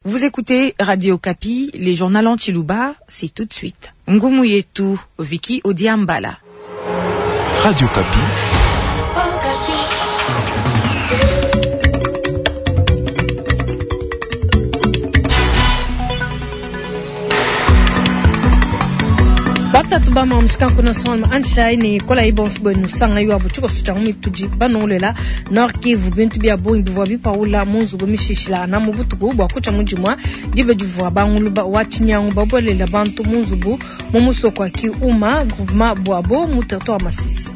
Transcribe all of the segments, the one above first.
Vous écoutez Radio Okapi, les journaux en Tshiluba, c'est tout de suite. Ngumu yetu, Vicky Odiambala. Radio Okapi. Batatu ba mamusika kuna sonma anshai ne kola ibonso bwenu sanga yo abu tshiko tshia mitudi banongolela Nord Kivu bintu bia bungi bivua bipaula mu nzubu mishishila na mu butuku bua kutshia mu dimua diba divua banguluba wa tshinyangu babuelela bantu mu nzubu mu musoko wa Kiuma groupement Bwabo mu territoire Masisi.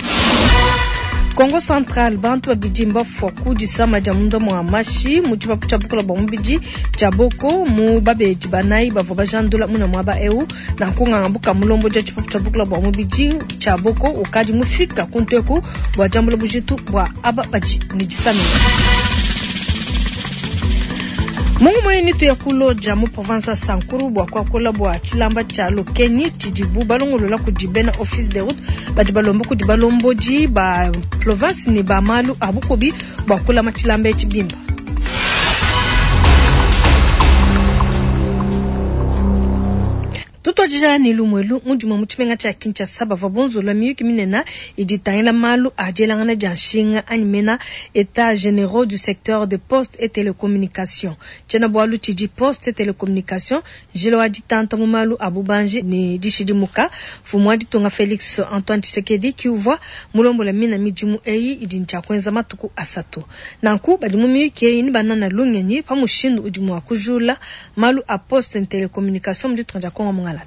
Kongo Central bantu babidi mbafua ku disama dia munda mua mashi mu tshipapu tshia bukola bua mubidi tshia Boko mu babedi banayi bavua bajandula muna muaba eu. Nanku nganga buka mulombodi wa tshipapu tshia bukola bua mubidi tshia Boko ukadi mufika ku nteku bua diambula bujitu bua aba badi ne disamina. Mungu moyeni tuya kuloja mu province wa Sankuru bua kuakula bua tshilamba tshia Lokeni tshidibu balongolola kudi bena office de route badi balomba kudi balombodi ba province ne ba malu a bukubi bua kulama tshilamba etshi bimpe. Tutuadija ne lumu elu mu dimue mu tshimenga tshia Kinshasa bavua bunzulula miyuki minene idi itangila malu a dielangana dia nshinga anyi mena Etats generaux du secteur de poste et telecommunication. Tshiena-bualu tshidi Poste et telecommunication, njila wa ditanta mu malu a bubanji ne dishidimuka. Mfumu wa ditunga Felix Antoine Tshisekedi ki uvua mulombola mina midimu eyi idi ne tshia kuenza matuku asatu. Nanku badi mu miyuki eyi nebanana lungenyi pa mushindu udi mua kujula malu a poste ne telecommunication mu ditunga dia Congo mungalata.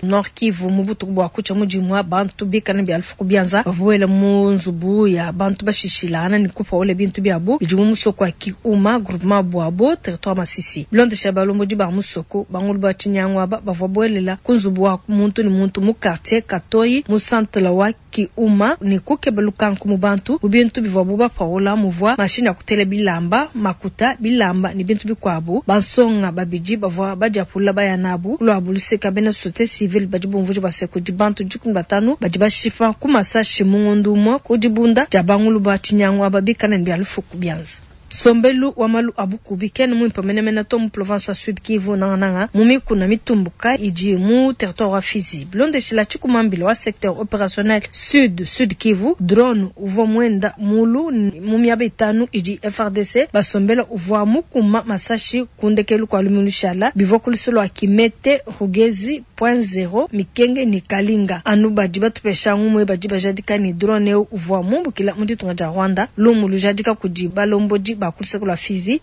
Nord Kivu, mu butuku bua kutshia mu dimua, bantu bikala ne bia lufu ku bianza bavua buela mu nzubu ya bantu bashishilangana ne kupaula bintu biabu bidi mu musoko wa Kiuma, groupement Bwabo, territoire Masisi. Bilondeshila balombodi ba musoko, bangulu ba tshinyangu aba bavua buelela ku nzubu wa muntu ne muntu mu quartier Katoyi mu centre wa Kiuma ne kukeba lukanku mu bantu. Mu bintu bivuabu bapaula muvua mashinyi a kutela bilamba, makuta, bilamba ne bintu bikuabu. Bansonga babidi bavua badiapula baya nabu ku luabu luseka. Bena societe civile badi bumvuija bua se kudi bantu 15 badi bashipa ku masashi mu ngondu umue ku dibunda dia bangulu ba tshinyangu aba bikale ne bia lufu ku bianza. Nsombelu wa malu a bukubi kena muimpe menemene to mu provense wa Sud Kivu, nangananga mu mikuna mitumbuka idi mu territoire wa Fizi. Bilondeshila tshikuma-mbila wa secteur operationnel Sud Sud Kivu, drone uvua muenda mulu mu miaba itanu idi FARDC basombela uvua mukuma masashi ku ndekelu kua lumingu lushala. Bivua ku lusu lua Kimete, Rugezi, Point Zero, Mikenge ne Kalinga. Anu badi batupesha ngumu badi bajadika ne, drone eu uvua mumbukila mu ditunga dia Rwanda, lumu lujadika kudi balombodi ba ku luseke lua Fizi.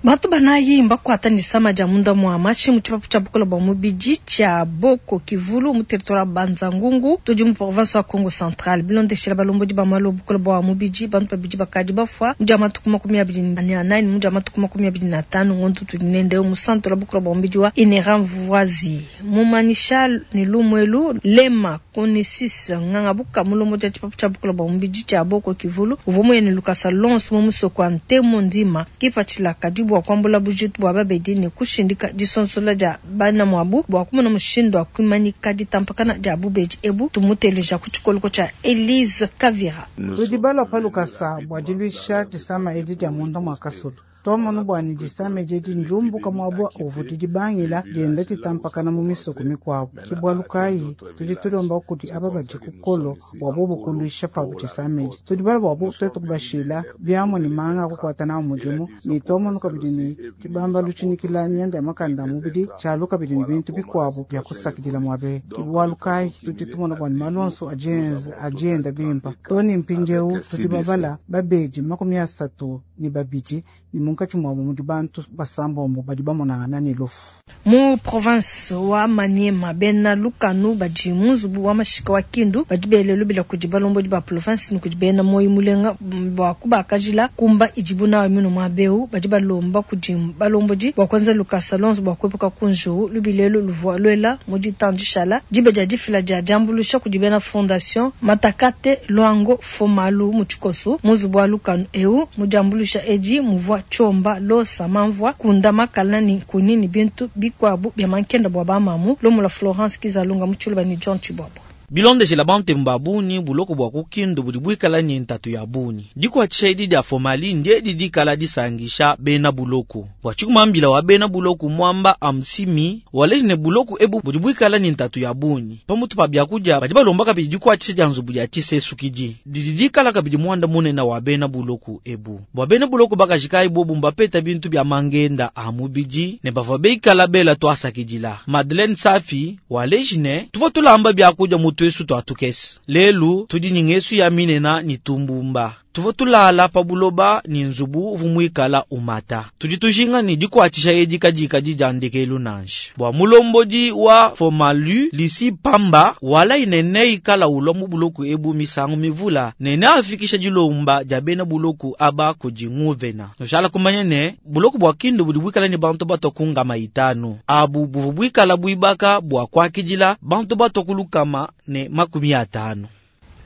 Bantu banayi mbakuata ne disama dia munda mua mashi mu tshipapu tshia bukole bua mubidi tshia Boko Kivulu mu territoire wa Banza-Ngungu tudi mu province wa Kongo Central. Bilondeshila balombodi ba malu a bukole bua mubidi, bantu babidi bakadi bafua mu dia matuku 24 ne mu dia matuku 25 ngondo tudi nende mu centre wa bukole bua mubidi wa Inera Mvuazi. Mumanyisha ne lumu elu, Lema Konesis Nganga Buka, mulombodi wa tshipapu tshia bukole bua mubidi tshia Boko Kivulu, uvua muye ne lukasa luonso mu musoko wa Ntemo Ndima. Kipatshila kadi bua kuambula bujitu bua babedi ne kushindika disonsola dia bana muabu bua kumona mushindu wa kuimanyika ditampakana dia bubedi ebu. Tumuteleja ku tshikoloko tshia Elise Kavira. Tudi balua pa lukasa bua diluisha disama edi dia munda mua kasulu. Tuamonu bua ne disama edi edi ndiumbuka muaba uvua didibangila dienda ditampakana mu misoko mikuabu. Ke bualu kayi tudi tulomba kudi aba badi ku kolo bua bobu kuluisha pabu disama edi. Tudi balua bua bu tuetu kubashila biamua ne manga a kukuata nawu mudimu, ne tuamonu kabidi ne tshibambalu tshinyikila mianda ya makanda a mubidi tshialu kabidi ne bintu bikuabu bia kusakidila muaba eu. Ke bualu kayi tudi tumona bua ne malu onso adi enda bimpe. Too ne mpindieu tudi babala babedi 32 ne munkatshi muabu mudi bantu basambombo badi bamonangana ne lufu. Mu province wa Maniema, bena lukanu badi mu nzubu wa mashika wa Kindu badi bele lubila kudi balombodi ba province ne kudi bena muoyo mulenga bua kubakajila kumba idibu nawu minu muaba eu. Badi balomba kudi balombodi bua kuenza lukasa luonso bua kuepuka ku njiwu. Lubila elu luvua luela mu ditanu dishala diba dia difila dia diambuluisha kudi bena Fondation Matakate Luango Fomalu mu tshikoso mu nzubu wa lukanu eu. Mu diambuluisha edi muvua tshiomba, losa, mamvua, kunda, makala ne nkunyi ne bintu bikuabu bia mankenda bua bamamu. Lumu lua Florence Kizalunga mu Tshiluba ne John Tshibuabua. Bilondeshela bantemu ba bungi, buloko bua ku Kindu budi buikala ne ntatu ya bungi. Dikuatshisha edi dia Fomali ndiedi dikala disangisha bena buloko. Bua tshikumambila wa bena buloko Mwamba Amsimi waleji ne buloko ebu budi buikala ne ntatu ya bungi. Pamutu pa biakudia badi balomba kabidi dikuatshisha dia nzubu dia tshisesu-kidi didi dikala kabidi muanda munene wa bena buloko ebu. Bua bena buloko bakaji kayi bobu mbapeta bintu bia mangenda a mubidi ne bavua beikala bela tuasakidila. Madeleine Safi waleji ne tuvua tulamba biakudia mu tuesu tua tukese. Lelu tudi ne ngesu ya minena ne tumbumba. Tuvua tulala pa buloba ne nzubu uvua muikala umata. Tudi tujinga ne dikuatshisha edi kadikadi dia ndekelu nansha. Bua mulombodi wa Fomalu Lisi Pamba walayi ne neikala ulua mu buloko ebu misangu mivula ne neafikisha dilomba dia bena buloko aba kudi nguvena. Nushala kumanya ne buloko bua Kindu budi buikala ne bantu batua ku ngama itanu. Abu buvua buikala buibaka bua kuakidila bantu batua ku lukama ne makumi atanu.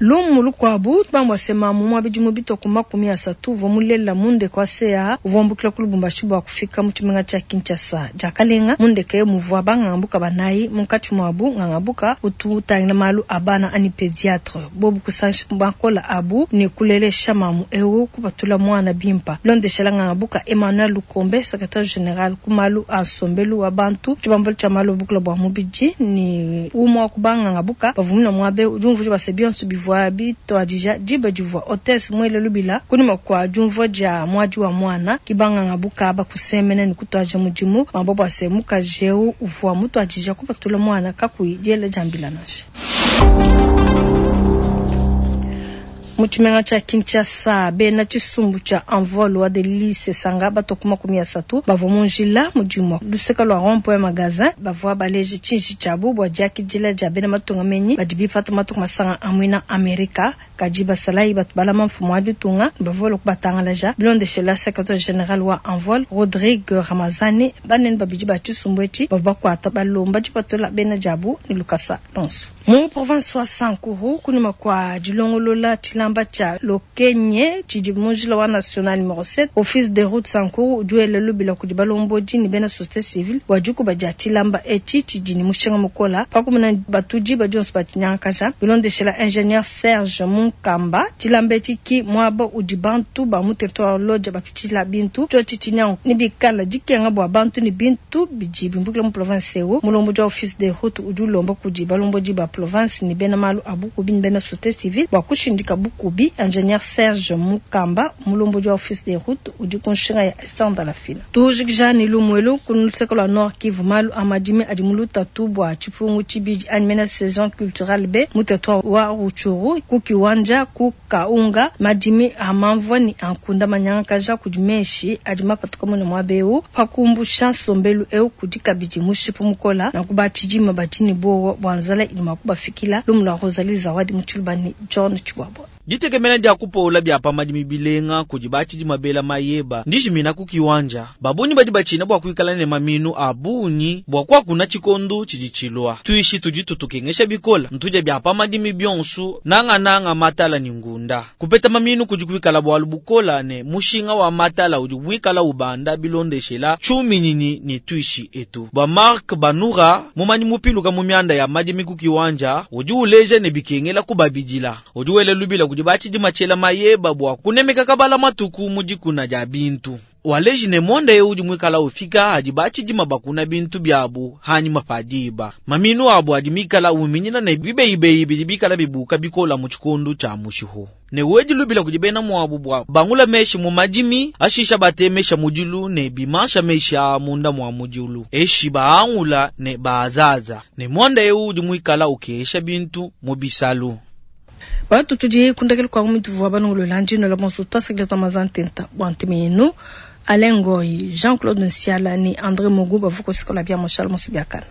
Lumu lukuabu bambua se mamu mua bidimu bitue ku 30 uvua mulela mu ndeke wa CAA uvua umbukila ku Lubumbashi bua kufika mu tshimenga tshia Kinshasa. Diakalenga, mu ndeke muvua bangangabuka banayi, munkatshi muabu ngangabuka utu utangila malu a bana anyi pediatre. Bobu kusangisha makola abu ne kulelesha mamu eu kupatula muana bimpa. Bilondeshela ngangabuka Emmanuel Lukombe, secretaire general ku malu a nsombelu wa bantu, tshibambalu tshia malu a bukula bua mubidi ne umue wa ku bangangabuka bavua muna muaba eu, udi umvuija bua se bionso bivua bituadija diba divua hotesse muele lubila kunyima kua diumvua dia muadi wa muana. Ke bangangabuka aba kusemena ne kutuadija mudimu, bamba bua se mukaji eu uvua mutuadija kupatula muana kakuyi diela dia mbila nansha. Mu tshimenga tshia Kinshasa, bena tshisumbu tshia Envol wa Delly Sesanga batua ku 30 bavua mu njila mu dimue luseke lua rond-point magasin bavua baleje tshiji tshiabu bua diakidila dia bena matunga menyi badi bipata matuku masanga a muina Amerika. Kadi basalayi batu balama mfumu wa ditunga bavua balua kubatangalaja. Bilondeshela secretaire general wa Envol Rodrigue Ramazani, banene babidi ba tshisumbu etshi bavua bakuata balomba dipatula bena diabu ne lukasa lonso. Mu province wa Sankuru, kunyima kua dilongolola tshilamba tshia Lokenye tshidi mu njila wa national numero 7, office de route Sankuru udi wela lubila kudi balombodi ne bena societe civile bua dikuba dia tshilamba etshi tshidi ne mushinga mukola pa kumona batudi badi onso batshinyangakaja. Bilondeshela ingenieur Serge Munkamba, tshilamba etshi ki muaba udi bantu ba mu territoire Lodja bapitshila bintu tshiotshi tshinyangu ne bikala dikenga bua bantu ne bintu bidi bimbukila mu province eu. Mulombodi wa office de route udi ulomba kudi balombodi ba province ne bena malu a bukubi ne bena societe civile bua kushindika bukubi. Ingenieur Serge Mukamba, mulombodi wa office de route udi ku nshinga ya Esther Ndalafina. Tujikija ne lumu elu ku luseke lua Nord Kivu, malu a madimi adi mu lutatu bua tshipungu tshibidi anyi mena saison culturale B mu territoire wa Rutshuru ku Kiwanja ku Kaunga. Madimi a mamvua ne a nkunda manyangakaja kudi meshi adi mapatuka mune muaba eu. Pa kumbusha nsombelu eu kudi kabidi mushipu mukola nanku batshidima badi ne buowa bua nzala idi mua kubafikila. Lumu lua Rosalie Zawadi mu Tshiluba ne John Tshibuabua. Ditekemena dia kupola bia pa madimi bilenga kudi batshidima bela mayeba ndijimina ku Kiwanja. Babunyi badi batshina bua kuikala ne maminu a bungi bua kuakuna tshikondu tshidi tshilua. Tuishi tudi tutukengesha bikola ntudia bia pa madimi bionsu nangananga matala ne ngunda. Kupeta maminu kudi kuikala bualu bukola ne mushinga wa matala udi muikala ubanda bilondeshela tshiuminyinyi ne tuishi etu. Bua Mark Banura mumanyi mupiluka mu mianda ya madimi ku Kiwanja udi uleja ne bikengela kubabidila. Udi wela lubila kudi batshidima tshiela mayeba bua kunemeka kabala matuku mu dikuna dia bintu. Waleji ne monde eu udi muikala ufika adi batshidima bakuna bintu biabu hanyima pa diba. Maminu abu adi mikala uminyina ne bibeibeyi bidi bikala bibuka bikola mu tshikondu tshia mushihu. Ne wedi lubila kudi bena muabu bua bangula meshi mu madimi, ashisha batemesha mudilu ne bimansha meshi a munda mua mudilu. Eshi baangula ne baazaza. Ne monde eu udi muikala ukesha bintu mu bisalu. Batu tudi kundakela kwa mutu wa balongolola ndino la bonso twasakila twa mazantenta bwa nteme yenu Alain Ngoy, Jean-Claude Nsiala ni André Mogu bavuko sikola bia Moshal Mosubiakana.